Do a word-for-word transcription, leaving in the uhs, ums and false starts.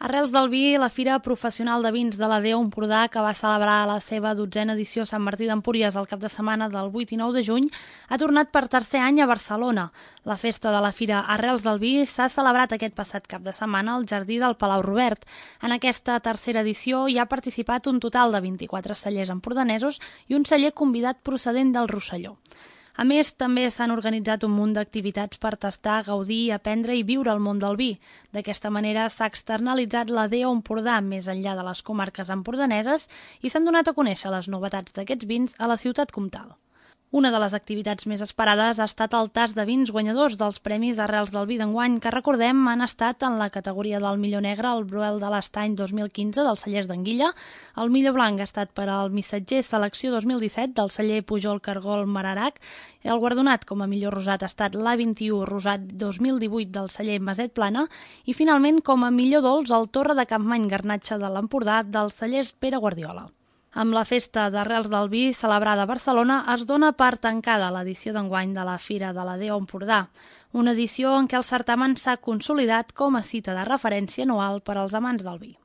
Arrels del vi, la Fira Professional de Vins de la D E O Empordà, que va celebrar la seva dotzena edició a Sant Martí d'Empúries el cap de setmana del vuit i nou de juny, ha tornat per tercer any a Barcelona. La festa de la Fira Arrels del Vi s'ha celebrat aquest passat cap de setmana al Jardí del Palau Robert. En aquesta tercera edició hi ha participat un total de vint-i-quatre cellers empordanesos i un celler convidat procedent del Rosselló. A més, també s'han organitzat un munt d'activitats per tastar, gaudir, aprendre i viure el món del vi. D'aquesta manera s'ha externalitzat la D E O Empordà més enllà de les comarques empordaneses i s'han donat a conèixer les novetats d'aquests vins a la ciutat comtal. Una de les activitats més esperades ha estat el tast de vins guanyadors dels Premis Arrels del Vi d'enguany, que recordem han estat en la categoria del millor negre el Bruel de l'Estany dos mil quinze dels cellers d'Anguilla, el millor blanc ha estat per al Missatger Selecció dos mil disset del celler Pujol Cargol Mararac, el guardonat com a millor rosat ha estat l'A vint-i-u Rosat dos mil divuit del celler Maset Plana i finalment com a millor dolç el Torre de Campmany Garnatxa de l'Empordà dels cellers Pere Guardiola. Amb la festa d'Arrels del Vi celebrada a Barcelona es dona per tancada l'edició d'enguany de la Fira de la D E O Empordà, una edició en què el certamen s'ha consolidat com a cita de referència anual per als amants del vi.